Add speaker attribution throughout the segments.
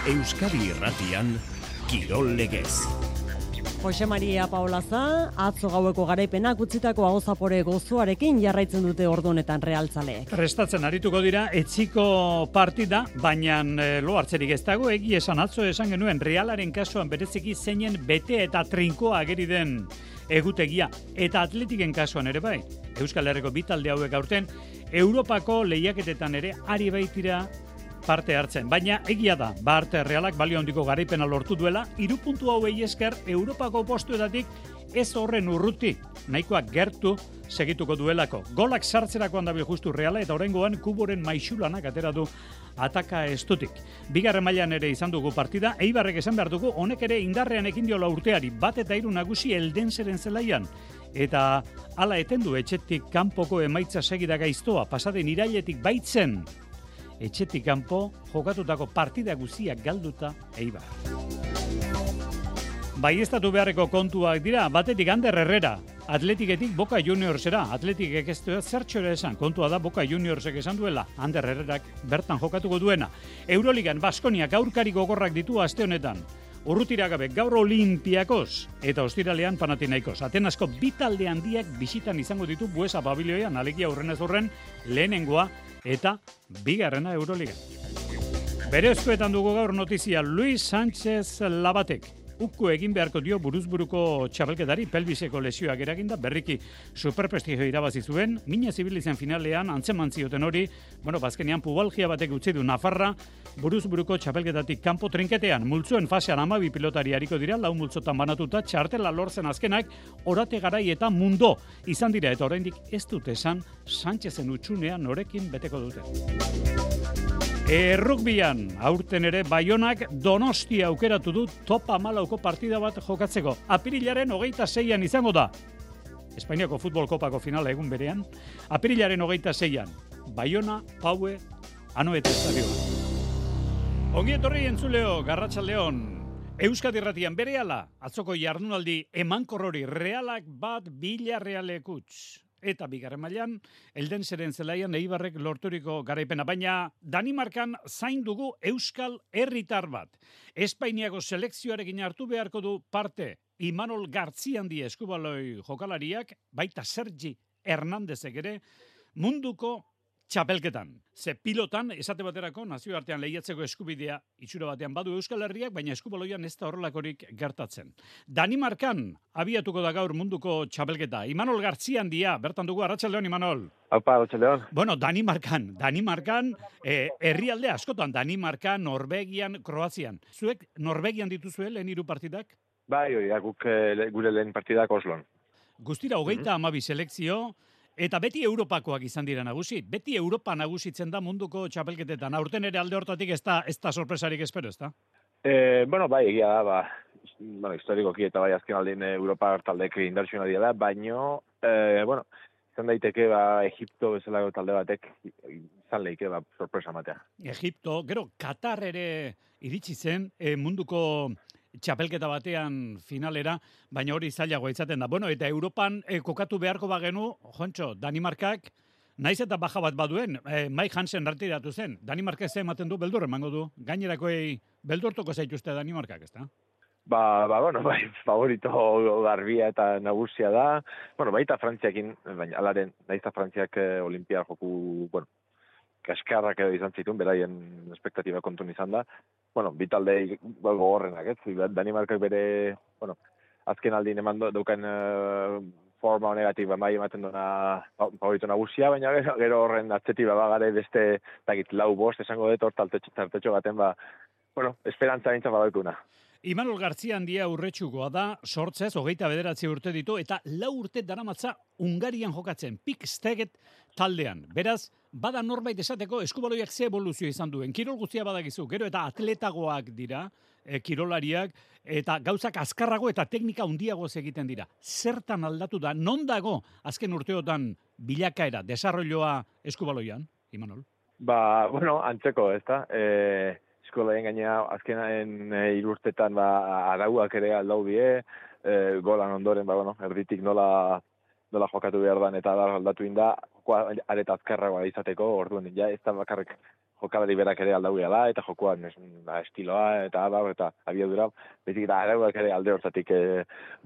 Speaker 1: Euskadi Irratian, Kirol Legez.
Speaker 2: Jose Maria Paolaza, atzo gaueko garaipenak utzitako ahozapore gozoarekin jarraitzen dute ordu honetan realtzaleek.
Speaker 3: Prestatzen arituko dira etxiko partida, baina lo hartzerik ez dago, egia esan atzo esan genuen Realaren kasuan bereziki zeinen bete eta trinkoa ageri den egutegia, eta Atletiken kasuan ere bai. Euskal Herriko bi talde hauek aurten Europako lehiaketetan ere ari baitira parte hartzen, baina egia da, Arte Realak balio handiko garaipena lortu duela, 3 puntu hauei esker Europako postuetatik ez horren urruti, nahikoak gertu segituko duelako. Golak sartzerakoan dabil justu Reala eta oraingoan Kuboren maixulanak atera du ataka estutik. Bigarren mailan ere izan dugu partida, Eibarrek esan behar dugu, honek ere indarrean ekin diola urteari, 1-3 nagusi Eldenseren zelaian. Eta hala etendu etxetik kanpoko emaitza segida gaiztoa, pasaden irailetik baitzen, etxetik kanpo jokatutako partida guztiak galduta Eibar. Baieztatu beharreko kontuak dira, batetik Ander Herrera, Atletiketik Boca Juniorsera, Atletikek ez du zertxora esan, kontua da Boca Juniorsek esan duela, Ander Herrerak bertan jokatuko duena. Euroligan Baskoniak aurkari gogorrak ditu aste honetan. Urrutiragabe gaur Olimpiakos eta ostiralean Panathinaikos. Atenasko bi talde handiak bisitan izango ditu Buesa Pabilioian, alegia hurrenez hurren lehenengoa eta bigarrena Euroliga. Bere eskuetan dugu gaur notizia Luis Sánchez Labatek. Ukko egin beharko dio buruzburuko txapelketari pelbiseko lesioak eraginda, berriki superprestigio irabazi zuen, mina zibilizen finalean antzeman zioten hori, bazkenean pubalgia batek utzi du Nafarra, buruzburuko txapelketatik kanpo trinketean, multzuen fasean 12 pilotari hariko dira, 4 multzotan banatuta, txartela lortzen azkenak, Orate Garai eta Mundo izan dira, eta oraindik ez dute esan Sánchezen utxunea norekin beteko dute. Errukbian, aurten ere Baionak Donostia aukeratu du top 14ko partida bat jokatzeko. Apirilaren 26an izango da. Espainiako futbol kopako finala egun berean. Apirilaren 26an. Baiona, Paue, Anoeta estadioa. Ongi etorri entzuleo, Garratxaldeon. Euskadi Irratian berehala, atzoko jardunaldi emankorrori Realak bat Villarrealek utz. Eta bigarren mailan, Eldenseren zelaian Eibarrek lorturiko garaipena, baina Danimarkan zain dugu Euskal herritar bat. Espainiako selekzioarekin hartu beharko du parte Imanol Gartziandi eskubaloi jokalariak, baita Sergi Hernandezek ere, munduko txapelketan. Ze pilotan, esate baterako, nazioartean lehiatzeko eskubidea itxura batean badu Euskal Herriak, baina eskubaloian ez da horrelakorik gertatzen. Danimarkan abiatuko da gaur munduko txapelketa. Imanol Gartziandia, bertan dugu, arratsaldeon Imanol.
Speaker 4: Aupa, arratsaldeon.
Speaker 3: Danimarkan, herrialde askotan, Danimarkan, Norvegian, Kroazian. Zuek Norvegian dituzue lehen 3 partidak?
Speaker 4: Bai, guk gure lehen partidak Oslon.
Speaker 3: Guztira 32 selekzio, eta beti Europakoak izan dira nagusi. Beti Europa nagusitzen da munduko txapelketetan. Aurten ere alde hortatik ez da sorpresarik espero, ez da?
Speaker 4: Bai, egia da, historikoki eta bai azken aldin Europa taldek indartsuen aldia da, baino, izan daiteke, Egipto bezalako talde batek izan leike, sorpresa matea.
Speaker 3: Egipto, gero, Katar ere iritsi zen munduko txapelketa batean finalera, baina hori zailagoa izaten da. Eta Europan kokatu beharko bagenu, Jontxo, Danimarkak, naiz eta baja bat baduen, Mike Hansen retiratu zen. Danimarkak ze ematen du, beldur emango du. Gainerakoei beldurtuko zaituzte Danimarkak, ez da?
Speaker 4: Bai, favorito garbia eta nagusia da. Baita Frantziakin, baina alaren, naiz eta Frantziak olimpiar joku, kaskarrak edo izan zituen, beraien espektatiba kontun izan da. Bi talde gogorrenak, ez? Danimarkak bere, azken aldin eman daukan forma honegatik, bai ematen duena favorito nagusia, baina gero horren atzetik gare beste, 4-5 esango dut, hor tartetxo baten, esperantza bintzat badaukuna.
Speaker 3: Imanol Gartziandia urretsukoa da, sortzez, 29 urte ditu, eta 4 urte daramatza Hungarian jokatzen, Piksteget taldean. Beraz, bada norbait esateko eskubaloiak ze evoluzio izan duen. Kirol guztia badakizu, gero eta atletagoak dira, kirolariak, eta gauzak azkarrago eta teknika handiagoz egiten dira. Zertan aldatu da, non dago azken urteotan bilakaera, desarrolloa eskubaloian, Imanol?
Speaker 4: Antzeko, ez da? Eskolaien gaina azkenaen 3 urtetan arauak ere aldau die, golan ondoren, erditik nola jokatu behar dan eta aldatu inda, areta azkarragoa izateko, orduan, ez da bakarrik jokalari berak ere aldau gehala, eta jokoan estiloa, eta abiadura, bezik eta arauak ere alde hortatik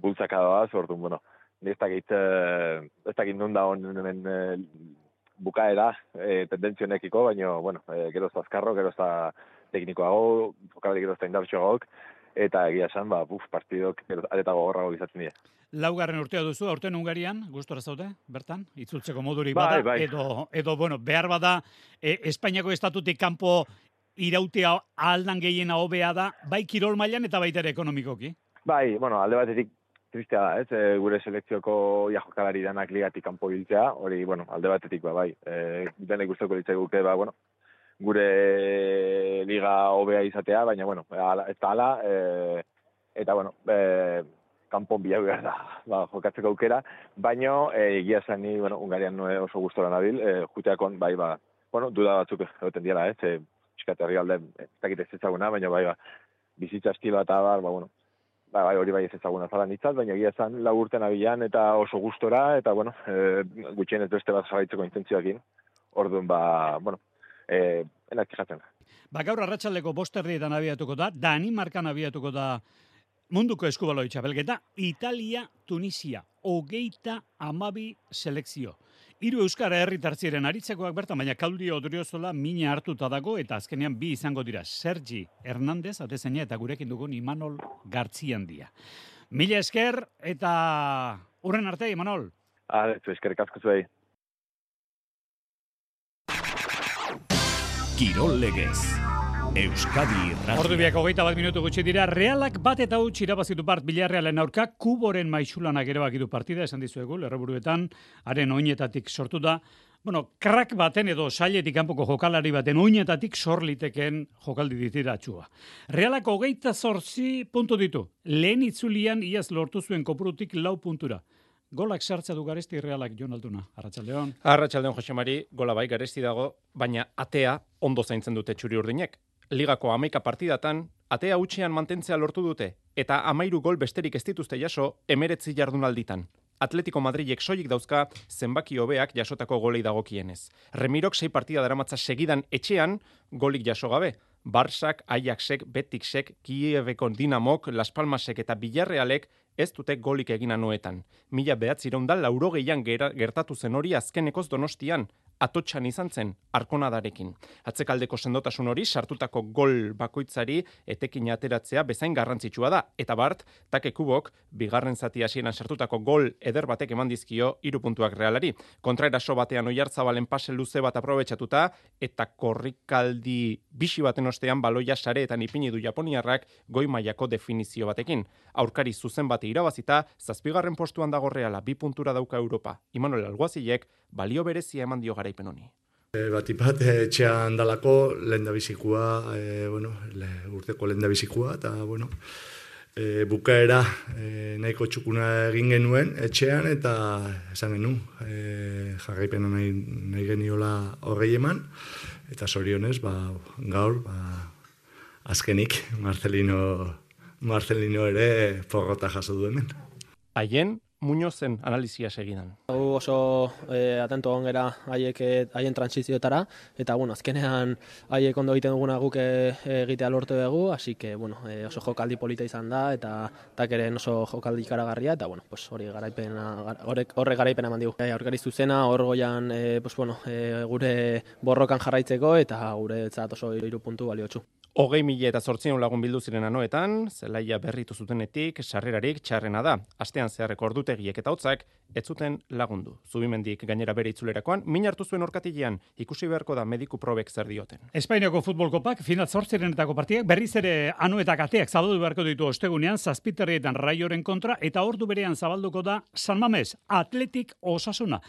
Speaker 4: bultzaka doaz, orduan, bueno, ez dakit non da honen bukaera tendentzionekiko, baina, bueno, geroz azkarro, geroz teknikoago, jokalari geroz indartxoagok, eta egia esan, partidok areta gogorrago izaten dira.
Speaker 3: Laugarren urtea duzu, aurten Hungarian, gustora zaude, bertan, itzultzeko modurik bada,
Speaker 4: bai.
Speaker 3: edo, bueno, behar bada, Espainiako estatutik kanpo irautea aldan gehiena hobea da, bai kirol mailan eta baita ere ekonomikoki.
Speaker 4: Bai, bueno, alde batetik tristea da, ez? Gure selekzioko jokalari danak ligatik kanpo hiltzea, hori, bueno, alde batetik, bai. Denek gustoko litzaiguke, bueno, gure liga hobea izatea, baina, bueno, ez da ala, eta, bueno, kanpon bila behar da, jokatzeko aukera, baina egia esan ni, bueno, Hungarian oso gustora nabil, juteakon, bai, bueno, duda batzuk egoten diela, ez? Piskat herrialde, ez dakit ez ezaguna, baina, bai, bizitza estiloa eta bueno, bai, hori bai ez ezaguna zala nitzat, baina egia esan urten abilan eta oso gustora, eta, bueno, gutxien ez beste bat jarraitzeko intentzioakin, orduan, bueno, enak jatzen.
Speaker 3: Gaur arratsaldeko 5:00 abiatuko da, Danimarkan abiatuko da munduko eskubaloi txapelketa, Italia, Tunisia, 32 selekzio. 3 euskara herritartziren aritzekoak bertan, baina Claudio Odriozola mina hartuta dago, eta azkenean 2 izango dira, Sergi Hernández, atezaina, eta gurekin dugun Imanol Gartziandia. Mila esker, eta hurren arte, Imanol.
Speaker 4: Eskerrik asko zuei.
Speaker 1: Kirol Legez. Euskadi Irratia.
Speaker 3: Ordu biak 21 minutu gutxi dira, Realak 1-0 irabazitu part Villarrealen aurka, Kuboren maixulanak erabakitu partida, esan dizuegu, lerroburuetan, haren oinetatik sortu da. Bueno, krak baten edo sailetik kanpoko jokalari baten oinetatik sorliteken jokaldi ditiratxua. Realak 28 puntu ditu. Lehen itzulian iaz lortu zuen kopurutik 4 puntura. Golak sartza du Garesti Realak, Jon Alduna. Arratsaldeon.
Speaker 5: Arratsaldeon, Jose Mari, gola bai Garesti dago, baina atea ondo zaintzen dute txuri urdinek. Ligako 11 partidatan, atea hutsean mantentzea lortu dute, eta 13 gol besterik ez dituzte jaso 19 jardunalditan. Atletico Madrilek soilik dauzka zenbaki hobeak jasotako golei dagokienez. Remirok 6 partida daramatza segidan etxean golik jaso gabe. Barsak, Ajaxek, Betiksek, Kieveko Dinamok, Las Palmasek eta Villarrealek ez dute golik egina noetan. 1980 gertatu zen hori azkenekoz Donostian, Atotxan izan zen, Arkonadarekin. Atzekaldeko sendotasun hori sartutako gol bakoitzari etekin ateratzea bezain garrantzitsua da. Eta Bart, Take Kubok, bigarren zati hasieran sartutako gol eder batek eman dizkio 3 puntuak Realari. Kontraeraso batean Oiartzabalen pase luze bat aprobetxatuta, eta korrikaldi bixi baten ostean baloia sareetan ipini du japoniarrak goi mailako definizio batekin. Aurkari zuzen bate irabazita, 7. postuan dago Reala, 2 puntura dauka Europa. Imanol Alguazilek balio berezia eman dio garaipen honi.
Speaker 6: Batipat, etxean dalako lehendabizikoa, urteko lehendabizikoa, eta, bukaera nahiko txukuna egin genuen etxean, eta esan genuen, jarraipena nahi geniola horrei eman, eta zorionez, gaur, azkenik, Marcelino ere porrota jaso du hemen.
Speaker 5: Haien, Muñozen analizia segidan.
Speaker 7: Oso atento ongera haien transizioetara, eta azkenean haiek ondo egiten duguna guk egitea lortu dugu, así que oso jokaldi polita izan da, eta takeren oso jokaldi ikaragarria, eta horre garaipena eman digu. Aurkari zuzena, hor goian gure borrokan jarraitzeko, eta gure etzat oso 3 puntu baliotsu.
Speaker 5: 20.800 lagun bildu ziren anoetan, zelaia berritu zutenetik, sarrerarik txarrena da. Astean zeharreko ordutegiek eta hotzak, ez zuten lagundu. Zubimendik gainera bere itzulerakoan, min hartu zuen orkatilean, ikusi beharko da mediku probek zer dioten.
Speaker 3: Espainiako futbol kopak, final 8 partidak, berriz ere anuetak ateak zabaldu beharko ditu ostegunean, 7 Raioren kontra, eta ordu berean zabalduko da San Mamés, Atletik Osasuna.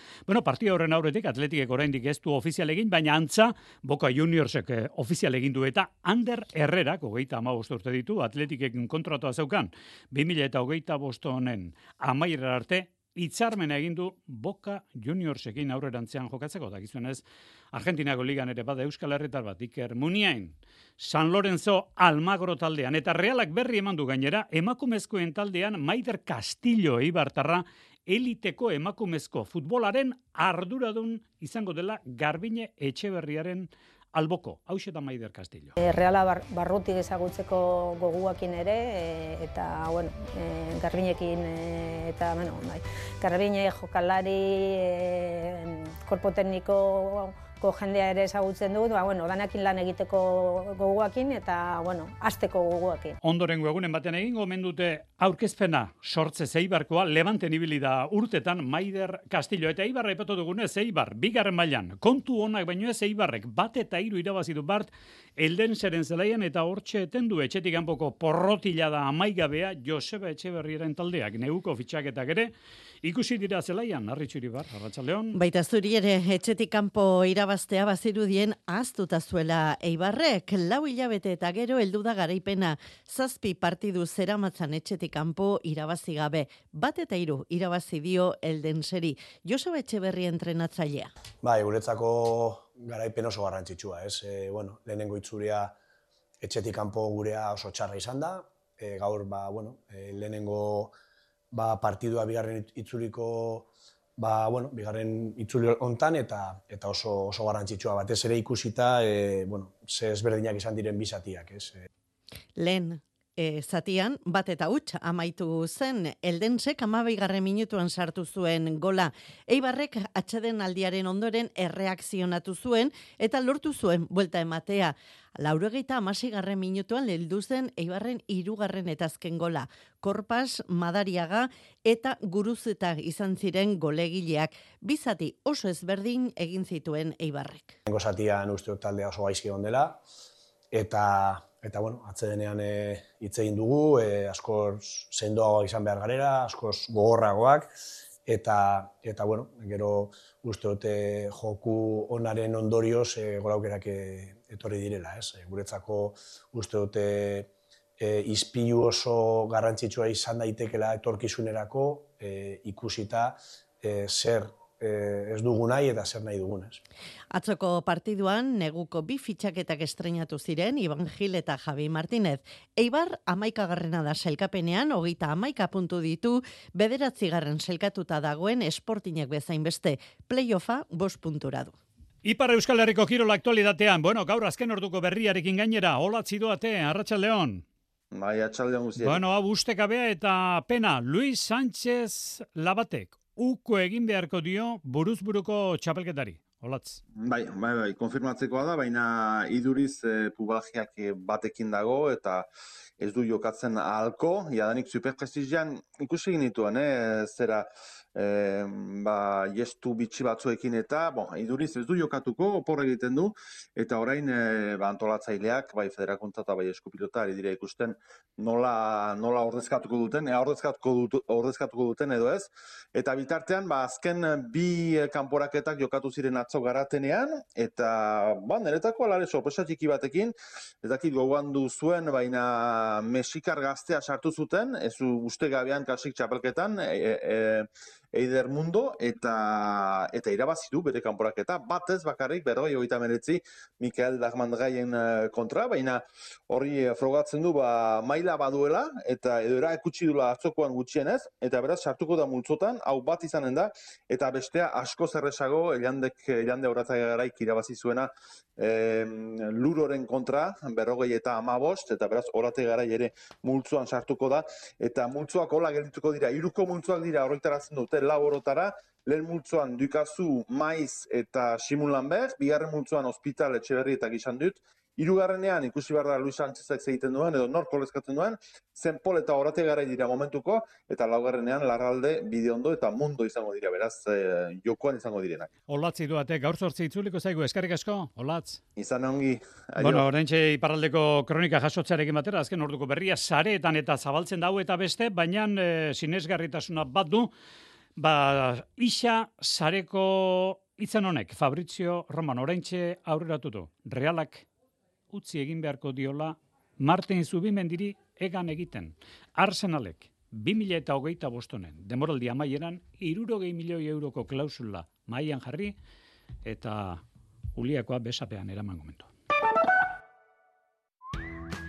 Speaker 3: Partida horren aurretik, Atletikek oraindik ez du ofizial egin, baina antza, Boca Juniorsek ofizial egin du, eta Ander Herrerak, 35 urte ditu, Atletikek kontratua zeukan, 2025 honen amaiera arte, hitzarmena egin du Boca Juniorsekin aurrerantzean jokatzeko, dakizuenez, Argentinako ligan ere bada Euskal Herritar bat, Iker Muniain, San Lorenzo Almagro taldean, eta Realak berri eman du gainera, emakumezkoen taldean Maider Castillo eibartarra, eliteko emakumezko futbolaren arduradun izango dela Garbine Etxeberriaren alboko, hauxe da Maider Castillo.
Speaker 8: Reala barrutik ezagutzeko goguakin ere, eta, bueno, Garbiñekin, eta, bueno, bai, Garbiñe jokalari, korpo tekniko jendea ere ezagutzen dut, bueno, danakin lan egiteko goguakin eta, bueno, hasteko goguakin.
Speaker 3: Ondorengo egunen baten egingo omen dute aurkezpena Sortze Eibarkoa, Levanten ibili da urtetan Maider Castillo, eta Eibarra aipatu dugunez, Eibar, bigarren mailan, kontu onak baino ez Eibarrek, 1-3 irabazi du bart, Eldenseren zelaian eta hortxe eten du etxetik kanpoko porrotila da amaigabea Joseba Etxeberriaren taldeak, neguko fitxaketak ere, ikusi dira zelaian, Arritxuri bar, Arratsaldeon.
Speaker 9: Baita zuri ere etxetik kanpo irabaztea bazirudien ahaztuta zuela Eibarrek, 4 hilabete eta gero heldu da garaipena, 7 partidu zeramatzan etxetik kanpo irabazi gabe, 1-3 irabazi dio Eldenseri. Joseba Etxeberri entrenatzailea.
Speaker 10: Bai, guretzako garaipen oso garrantzitsua, ez? Bueno, lehenengo itzulia etxetik kanpo gurea oso txarra izan da, gaur, lehenengo partidua bigarren itzuliko, bigarren itzuli hontan eta oso garrantzitsua batez ere ikusita, ze ezberdinak izan diren bi zatiak, ez?
Speaker 9: Lehen zatian, 1-0 amaitu zen, Eldensek 12. minutuan sartu zuen gola. Eibarrek atxeden aldiaren ondoren erreakzionatu zuen eta lortu zuen buelta ematea. 86. minutuan heldu zen Eibarren 3. eta azken gola. Korpas, Madariaga eta Guruzeta izan ziren golegileak. Bi zati oso ezberdin egin zituen Eibarrek.
Speaker 10: Lehenengo zatian uste taldea oso gaizki egon dela, eta atsedenean hitz egin dugu, askoz sendoagoak izan behar garela, askoz gogorragoak, eta gero uste dute joku onaren ondorioz gol aukerak etorri direla, ez? Guretzako uste dute ispilu oso garrantzitsua izan daitekela etorkizunerako, ikusita zer ez dugu nahi eta zer nahi dugunez.
Speaker 9: Atzoko partiduan neguko 2 fitxaketak estreinatu ziren Iban Gil eta Javi Martínez. Eibar 11. da sailkapenean, 30 puntu ditu, 9. sailkatuta dagoen Sportingek bezain beste, play-offa 5 puntura du.
Speaker 3: Ipar Euskal Herriko kirola aktualitatean, gaur azken orduko berriarekin gainera, olatzi doate, Arratsaldeon.
Speaker 11: Bai, arratsaldeon guztiak.
Speaker 3: Hau ustekabea eta pena, Luis Sánchez Labatek, uko egin beharko dio buruzburuko txapelketari. Olatz.
Speaker 11: Bai, konfirmatzekoa da, baina iduriz pubalgiak batekin dago eta ez du jokatzen ahalko, jadanik superprestigian ikusi egin dituen, zera jestu bitxi batzuekin eta iduriz ez du jokatuko, opor egiten du, eta orain antolatzaileak, bai federakuntza eta bai eskupilota ari dira ikusten nola ordezkatuko duten, ordezkatuko duten edo ez, eta bitartean azken 2 kanporaketak jokatu ziren atzo garatenean, eta niretako alare sorpresa txiki batekin, ez dakit gogoan du zuen, baina mexikar gaztea sartu zuten, ez uste gabean kasik txapelketan, Eider Mundo, eta irabazi du bere kanporaketa, batez bakarrik, 59 Mikael Dagmandraien kontra, baina hori frogatzen du maila baduela, eta edo erakutsi dula atzokoan gutxienez, eta beraz sartuko da multzotan, hau bat izanen da, eta bestea asko zerresago, Elande Horatzagaraik irabazi zuena Luroren kontra, 55, eta beraz Horatzagarai ere multzoan sartuko da, eta multzoak hola geldituko dira, 3 multzoak dira horretaratzen dute, 4 orotara, lehen multzoan Dukazu, Maiz eta Simun Lambert, bigarren multzoan Hospital Etxeberri eta Gizan dut, 3. ikusi behar da Luis Sánchezek egiten duen, edo nork kolezkatzen duen, Zenpol eta Horatzagarai dira momentuko, eta 4. Larralde, Bideondo eta Mundo izango dira, beraz, jokoan izango direnak.
Speaker 3: Olatzi duate, gaur 8 itzuliko zaigu, eskerrik asko, Olatz.
Speaker 11: Izan ongi.
Speaker 3: Oraintxe iparraldeko kronika jasotzearekin batera, azken orduko berria sareetan eta zabaltzen dau eta beste, baina sinesgarritasuna bat du, isa sareko itzen honek, Fabrizio Romano, oraintxe aurreratu du, Realak utzi egin beharko diola Martin Zubimendiri egan egiten. Arsenalek 2025 demoraldi amaieran 60 milioi euroko klausula mailan jarri eta Uliakoa besapean eraman momentu.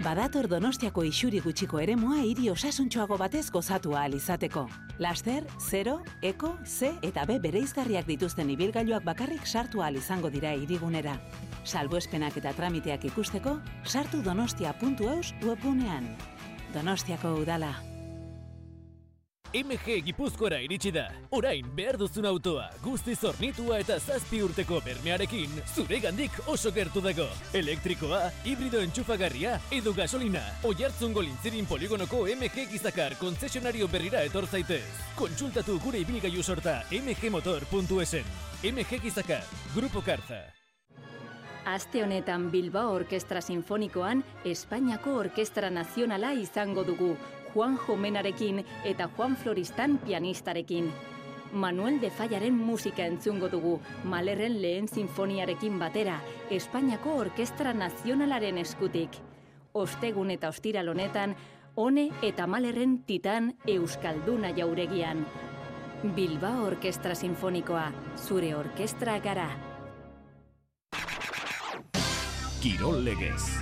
Speaker 12: Badator Donostiako isuri gutxiko eremua hiri osasuntsuago batez gozatu ahal izateko. Laster, 0, Eko, C eta B bereizgarriak dituzten ibilgailuak bakarrik sartu ahal izango dira hirigunera. Salbuespenak eta tramiteak ikusteko, sartu donostia.eus webgunean. Donostiako udala.
Speaker 13: MG Gipuzkoara iritsi da. Orain behar duzun autoa, guztiz hornitua eta 7 urteko bermearekin, zuregandik oso gertu dago. Elektrikoa, hibrido entxufagarria edo gasolina. Oiartzungo Lintzirin poligonoko MG Gizakar kontzesionario berrira etor zaitez. Kontsultatu gure ibilgailu sorta mgmotor.esen. MG Gizakar, Grupo Karza.
Speaker 14: Aste honetan Bilbao Orkestra Sinfonikoan Espainiako Orkestra Nazionala izango dugu, Juan Jomenarekin eta Juan Floristan pianistarekin. Manuel de Fallaren musika entzungo dugu, Malerren lehen sinfoniarekin batera, Espainiako Orkestra Nazionalaren eskutik. Ostegun eta ostiral honetan, One eta Malerren Titan Euskalduna jauregian. Bilbao Orkestra Sinfonikoa, zure orkestra gara.
Speaker 1: Kirol legez.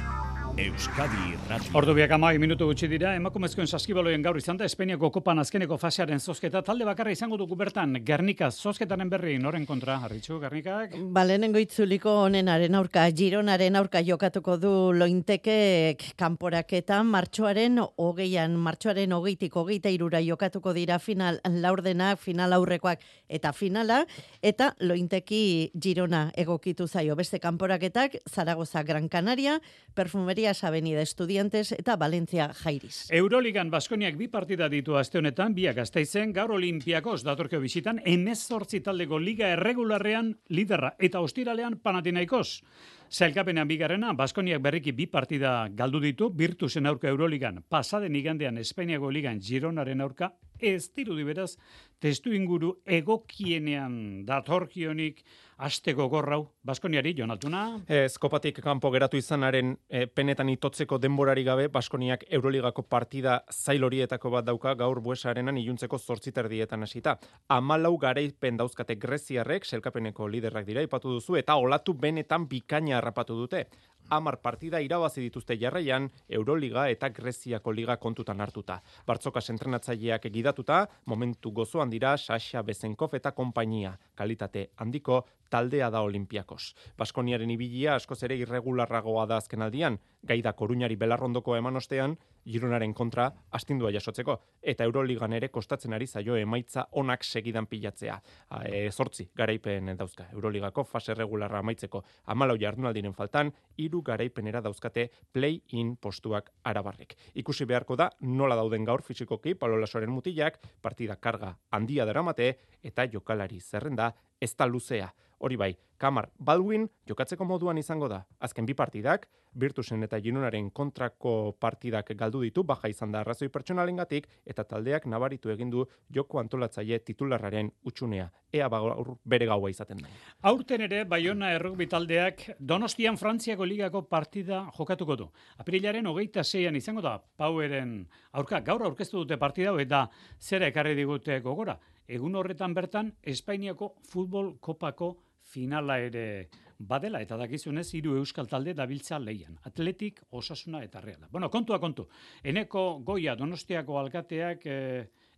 Speaker 1: Euskadi Irrati.
Speaker 3: Ordu biak 12 minutu gutxi dira, emakumezkoen saskibaloien gaur izan da Espainiako kopan azkeneko fasearen zozketa, talde bakarra izango dugu bertan, Gernika zozketaren berri, noren kontra, Arritxu, Gernikak?
Speaker 9: Lehenengo itzuliko honenaren aurka, Gironaren aurka jokatuko du Lointekek kanporaketan, martxoaren 20-tik 23 jokatuko dira final laurdenak, final aurrekoak eta finala, eta Lointeki Girona egokitu zaio beste kanporaketak, Zaragoza Gran Canaria, Perfumeria Avenida Estudiantes eta Valencia Jairis.
Speaker 3: Euroligan Baskoniak 2 partida ditu aste honetan, biak Gasteizen, gaur Olimpiakos datorkio bisitan, 18 taldeko liga erregularrean liderra eta ostiralean Panathinaikos. Sailkapenean bigarrena, Baskoniak berriki 2 partida galdu ditu, Virtusen aurka Euroligan, pasaden igandean Espainiako ligan Gironaren aurka, ez dirudi beraz, testu inguru egokienean datorkionik asteko gorrau, Baskoniari, Jon Altuna?
Speaker 5: Kopatik kanpo geratu izanaren penetan itotzeko denborari gabe, Baskoniak Euroligako partida zail horietako bat dauka gaur Buesarenan iluntzeko 8:30 hasita. 14 garaipen dauzkate greziarrek, sailkapeneko liderrak dira, ipatu duzu, eta olatu benetan bikaina harrapatu dute. 10 partida irabazi dituzte jarraian, Euroliga eta Greziako liga kontutan hartuta. Bartzokas entrenatzaileak egidatuta, momentu gozoan dira Sasha Bezenkov eta konpainia. Kalitate handiko taldea da Olimpiakos. Baskoniaren ibilia askoz ere irregularragoa da azkenaldian, gaida Koruñari belarrondoko eman ostean, Gironaren kontra astindua jasotzeko, eta Euroligan ere kostatzen ari zaio emaitza onak segidan pilatzea. 8 garaipen dauzka Euroligako fase regularra amaitzeko, 14 jardunaldiren faltan, 3 garaipenera dauzkate play-in postuak arabarrek. Ikusi beharko da nola dauden gaur fisikoki Pablo Lasoren mutilak, partida karga handia daramate eta jokalari zerrenda ez da luzea. Hori bai, Kamar Baldwin jokatzeko moduan izango da. Azken 2 partidak, Virtusen eta Gironaren kontrako partidak galdu ditu, baja izan da arrazoi pertsonalengatik, eta taldeak nabaritu egin du joko antolatzaile titularraren utxunea. Ea gaur bere gaua izaten da.
Speaker 3: Aurten ere, Baiona errugbi taldeak Donostian Frantziako ligako partida jokatuko du. Apirilaren 26an izango da, Paueren aurka, gaur aurkeztu dute partida, eta zera ekarri digute gogora. Egun horretan bertan, Espainiako futbol kopako finala ere badela, eta dakizunez 3 euskal talde dabiltza leian. Atletik, Osasuna eta Reala. Bueno, kontua kontu. Eneko Goia Donostiako alkateak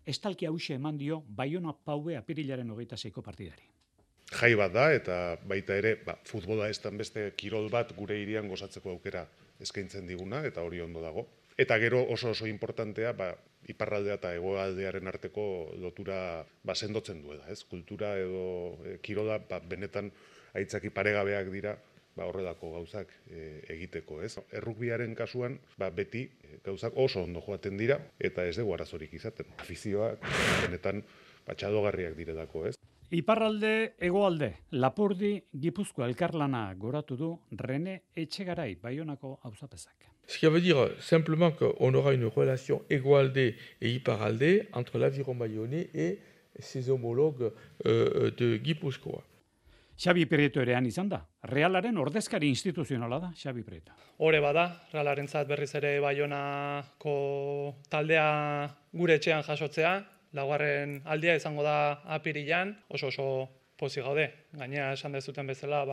Speaker 3: estalki hauxe eman dio Baiona Paue apirilaren 26ko partidari.
Speaker 15: Jai bat da, eta baita ere, futbola ez dan beste kirol bat gure hirian gozatzeko aukera eskaintzen diguna, eta hori ondo dago. Eta gero oso importantea, iparraldea eta hegoaldearen arteko lotura sendotzen duela, ez? Kultura edo kirola benetan aitzaki paregabeak dira, horrelako gauzak egiteko, ez? Errugbiaren kasuan, beti gauzak oso ondo joaten dira eta ez dugu arazorik izaten. Afizioak benetan txadogarriak direlako, ez?
Speaker 3: Iparralde, hegoalde, Lapurdi, Gipuzkoa elkarlana goratu du Rene Etxegarai, Baionako auzapezak.
Speaker 16: Ce qui veut dire simplement qu'on aura une relation Egoalde et Iparralde entre l'Aviron bayonnais et ses homologues de Gipuzkoa.
Speaker 3: Xabi Prieto erean izan da. Realaren ordezkari instituzionala da, Xabi Prieto.
Speaker 17: Hore bada, Realarentzat berriz ere Baionako taldea gure etxean jasotzea, laugarren aldia izango da apirilan, oso pozik gaude. Gainera esan dezuten bezala,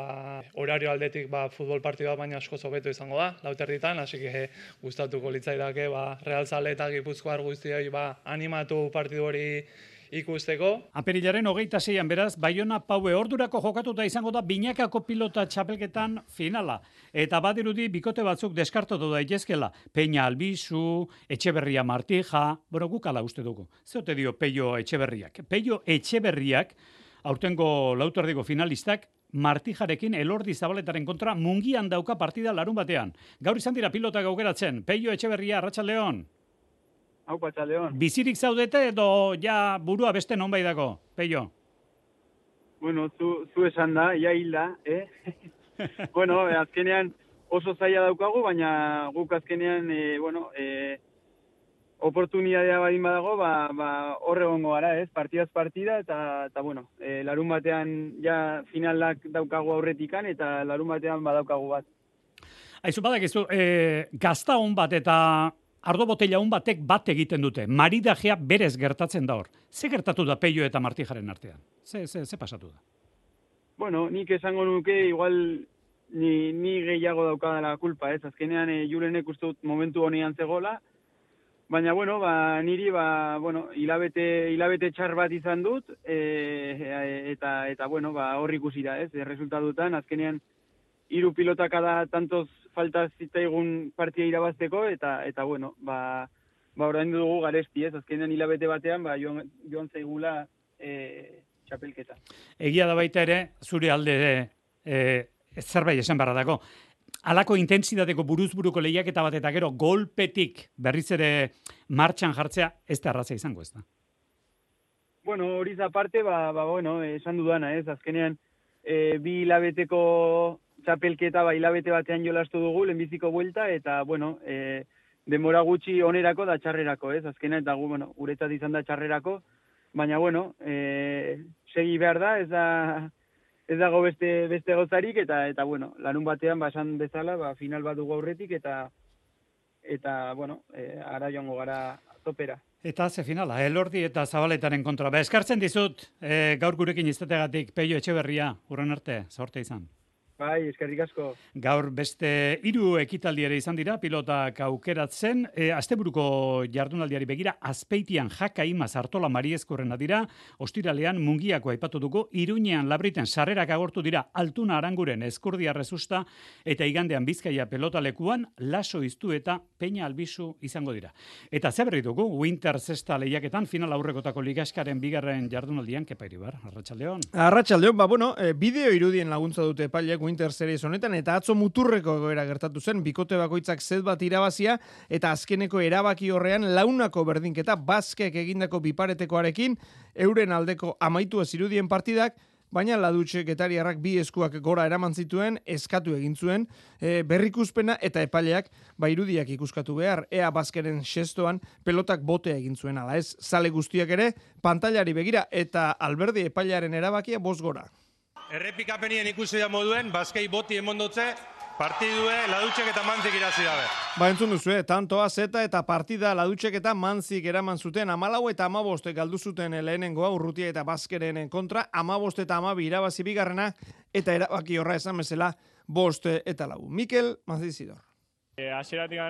Speaker 17: horario aldetik futbol partidua baina asko hobeto izango da, 4:00, hasi que gustatuko litzaidake realzale eta gipuzkoar guztioi animatu partidu hori ikusteko.
Speaker 3: Apirilaren 26an beraz, Baiona Paue ordurako jokatuta izango da binakako pilota txapelketan finala. Eta badirudi bikote batzuk deskartatu daitezkela. Peña Albizu, Etxeberria Martija, guk ala uste dugu. Zeote dio Peio Etxeberriak? Peio Etxeberriak, aurtengo lauterdiko finalistak, Martijarekin Elordi Zabaletaren kontra Mungian dauka partida larun batean. Gaur izan dira pilotak aukeratzen. Peio Etxeberria, Arratsaldeon.
Speaker 18: León.
Speaker 3: Bizirik zaudete edo ja burua beste nonbait dago, Peio?
Speaker 18: Bueno, zu esan da, ja hilda, Bueno, azkenean oso zaila daukagu, baina guk azkenean, oportunidadea badin badago, hor egongo gara, partidaz partida, eta bueno, larun batean ja finalak daukagu aurretikan, eta larun batean badaukagu bat.
Speaker 3: Aizu badakizu, gazta hon bat eta ardo botella hon batek bat egiten dute. Maridajea berez gertatzen da hor. Ze gertatu da Peio eta Martijaren artean? Ze pasatu da?
Speaker 18: Bueno, nik esango nuke, igual ni gehiago daukadala kulpa, Azkenean Julenek uste dut momentu honean zegoela, baina, niri, hilabete txar bat izan dut, eta hor ikusi da, resultatutan, azkenean, 3 pilotak da tantoz falta zitzaigun partia irabazteko, eta orain dugu garesti, azkenean hilabete batean, joan zaigula txapelketa.
Speaker 3: Egia da baita ere, zure alde zerbait esan barra dago. Halako intentsitateko buruz-buruko lehiaketa bat eta gero golpetik berriz ere martxan jartzea ez da arraza izango, ez da?
Speaker 18: Bueno, horiz aparte, esan dudana, azkenean 2 hilabeteko txapelketa hilabete batean jolastu dugu, lehenbiziko buelta, eta, denbora gutxi onerako da txarrerako, azkenean, eta guretzat izan da txarrerako, baina, segi behar da, ez dago beste gozarik, eta larun batean, esan bezala, final bat dugu aurretik, eta ara joango gara topera.
Speaker 3: Eta ze finala, Elordi eta Zabaletaren kontra. Eskartzen dizut, gaur gurekin izategatik, Peio Etxeberria, urren arte, zorte izan.
Speaker 18: Bai, eskerrik asko.
Speaker 3: Gaur beste 3 ekitaldi ere izan dira, pilotak aukeratzen. Asteburuko jardunaldiari begira, Azpeitian Jaka Imaz Artola Mariezkorrena dira, ostiralean Mungiako aipatu dugu, Iruñean Labriten sarrerak agortu dira, Altuna Aranguren Eskurdia Rezusta, eta igandean Bizkaia pelotalekuan, Laso Iztu eta Peña Albizu izango dira. Eta zeberri dugu, Winter Zesta lehiaketan, final aurrekotako ligaskaren bigarren jardunaldian, Kepa Iribar, Arratsaldeon.
Speaker 5: Arratsaldeon, bideo irudien laguntza dute epaileak Winter Series honetan, eta atzo muturreko egoera gertatu zen, bikote bakoitzak set bat irabazia, eta azkeneko erabaki horrean launako berdinketa Baskek egindako biparetekoarekin, euren aldeko amaitu ez irudien partidak, baina Ladutxe Getariarrak 2 eskuak gora eraman zituen, eskatu egin zuen, berrikuspena eta epaileak irudiak ikuskatu behar, ea Baskeren xestoan pelotak botea egin zuen, ala ez, zale guztiak ere, pantailari begira, eta Alberdi epailearen erabakia 5 gora.
Speaker 19: Errepikapenien ikusi da moduen, Baskei boti emondotze, partidue Ladutxek eta Mantzik irazi dabe.
Speaker 5: Entzun duzu, tantoa zeta eta partida Ladutxek eta Mantzik eraman zuten 14 eta 15 galdu zuten lehenengoa Urrutia eta Baskeren kontra, 15 eta 12 irabazi bigarrena, eta erabaki horra esan bezala 5 eta 4. Mikel Mazizidor.
Speaker 20: Hasieratik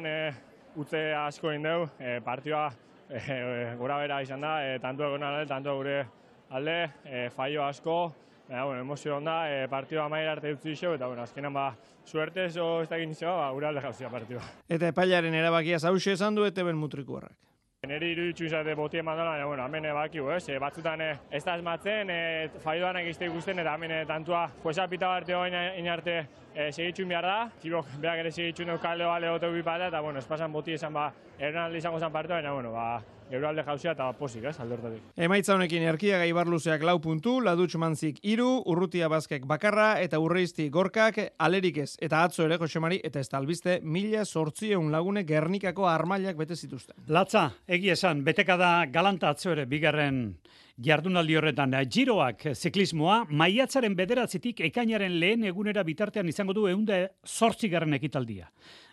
Speaker 20: utze asko egin dugu, partioa gora bera izan da, tanto egon alde, tanto gure alde, fallo asko, emozio onda, partioa amaira arte utzi iso, eta azkenan suerte ez da egin izan, gure alde jauzia partioa.
Speaker 5: Eta epailaren erabakia zauxe esan du, eta ben mutrikuarrak.
Speaker 20: Neri iruditzu izate botien mandola, hemen bakiu, batzutan ez da esmatzen, falloan egizte ikusten, eta hemen tantua jueza pita barte hoin arte segitxun behar da, tibok beak ere segitxun dut kalde bale gote bipata, eta espasan boti esan eran alde izango zen partua, baina euralde jauzia eta posik, alde hortatik.
Speaker 5: Emaitza honekin Erkiaga Ibarluzeak 4 puntu, Ladutx Mantzik 3, Urrutia Baskek bakarra, eta Urreizti Gorkak, Alerik ez, eta atzo ere Josemari, eta ez talbizte, 1.800 lagunek Gernikako armailak bete zituzten.
Speaker 3: Latza, egia esan, beteka da galanta atzo ere, bigarren Jardunaldi horretan, Giroak ziklismoa maiatzaren 9 ekainaren lehen egunera bitartean izango du 108. ekitaldia.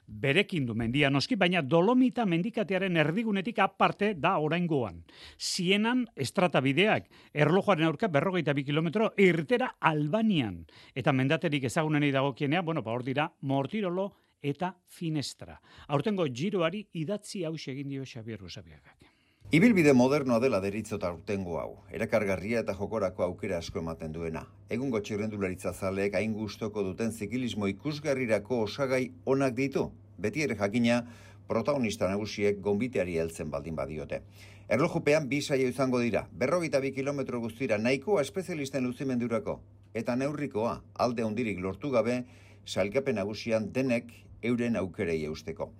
Speaker 3: Berekin du mendia noski, baina Dolomita mendikatearen erdigunetik aparte da oraingoan. Sienan estrata bideak, erlojuaren aurka 42 kilometro irtera Albanian. Eta mendaterik ezagunenei dagokienea, hor dira Mortirolo eta Finestra. Aurtengo Giroari idatzi hauxe egin dio Xabier Usabiagak.
Speaker 21: Ibilbide modernoa dela deritzot aurtengo hau, erakargarria eta jokorako aukera asko ematen duena. Egungo txirrendularitza zaleek hain gustoko duten zikilismo ikusgarrirako osagai onak ditu. Beti ere jakina, protagonista nagusiek gonbiteari heltzen baldin badiote. Erlojupean 2 saio izango dira, 42 kilometro guztira nahikoa espezialisten luzimendurako. Eta neurrikoa, alde hondirik lortu gabe, sailkapen nagusian denek euren aukerei eusteko.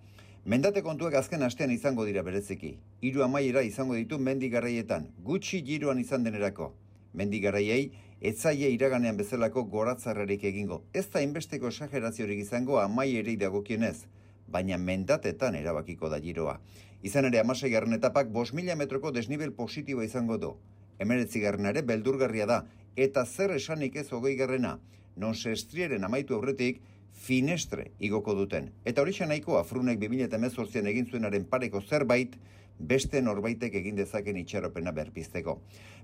Speaker 21: Mendate kontuak azken astean izango dira bereziki. 3 amaiera izango ditu mendi garaietan, gutxi Giroan izan denerako. Mendi garaiei, etzaie iraganean bezalako goratzarrarik egingo. Ez da inbesteko esageraziorik izango amaierei dagokienez, baina mendatetan erabakiko da Giroa. Izan ere 16. etapak 5.000 metroko desnibel positiboa izango du. 19. ere beldurgarria da, eta zer esanik ez 20. non sestrieren amaitu aurretik, Finestre igoko duten. Eta hori nahikoa Frunek 2018an egin zuenaren pareko zerbait, beste norbaitek egin dezaken itxaropena berpizteko.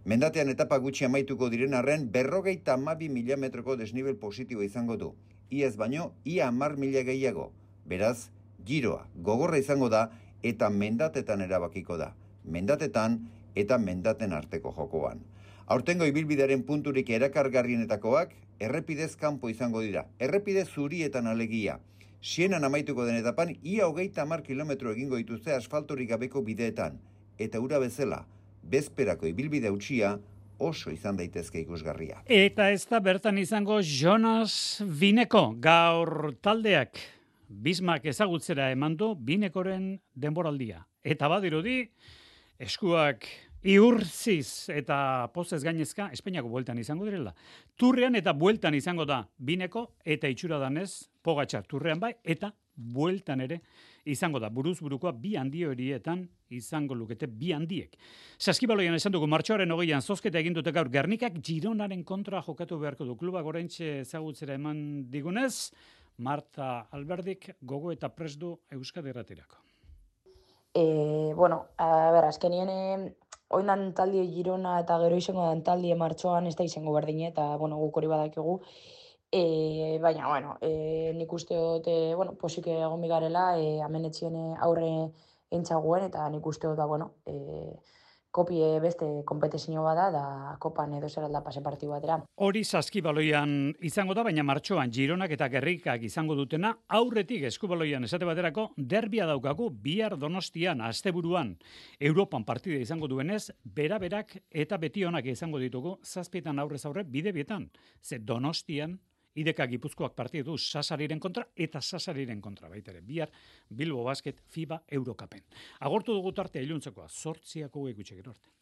Speaker 21: Mendatean etapa gutxi amaituko diren arren 52.000 metroko desnibel positibo izango du. Iaz baino, ia 10.000 gehiago. Beraz, Giroa gogorra izango da eta mendatetan erabakiko da. Mendatetan eta mendaten arteko jokoan. Aurtengo ibilbidearen punturik erakargarrienetakoak, errepidez kanpo izango dira. Errepide zurietan alegia. Sienan amaituko den etapan, ia 30 kilometro egingo dituzte asfaltorik gabeko bideetan. Eta ura bezala, bezperako ibilbide hautsia oso izan daitezke ikusgarria.
Speaker 3: Eta ez da bertan izango Jonas Bineko, gaur taldeak Bismak ezagutzera eman du Binekoren denboraldia. Eta badirudi, eskuak iurtziz eta pozez gainezka Espainiako bueltan izango direla. Turrean eta bueltan izango da Bineko eta itxura danez Pogačar turrean bai eta bueltan ere izango da. Buruz burukoa 2 handi horietan izango lukete 2 handiek. Saskibaloian esan dugu martxoaren 20an zozketa egin dute gaur Gernikak Gironaren kontra jokatu beharko du. Klubak oraintxe ezagutzera eman digunez, Marta Alberdik gogo eta prest du Euskadi Irratirako.
Speaker 22: Azkenien oindan taldi Girona eta gero izango dan taldi martxoan ez da izango berdine eta guk hori badakigu. Baina, nik uste dut, posik egon bigarela, amenetzien aurre entzaguen eta nik uste dut, kopie beste kompetizio bada da kopan edo zer alda pase partidu batera.
Speaker 3: Hori Saskibaloian izango da, baina martxoan Gironak eta Gernikak izango dutena, aurretik Eskubaloian esate baterako derbia daukagu bihar Donostian, asteburuan, Europan partida izango duenez, beraberak eta betionak izango ditugu, 7 aurrez aurre bide bietan. Ze Donostian, IDK Gipuzkoak partidu du Sasariren kontra eta Sasariren kontra baitere. Bihar Bilbo Basket FIBA Eurocupen. Agortu dugu tarte iluntzekoa, 8 gutxi gero arte.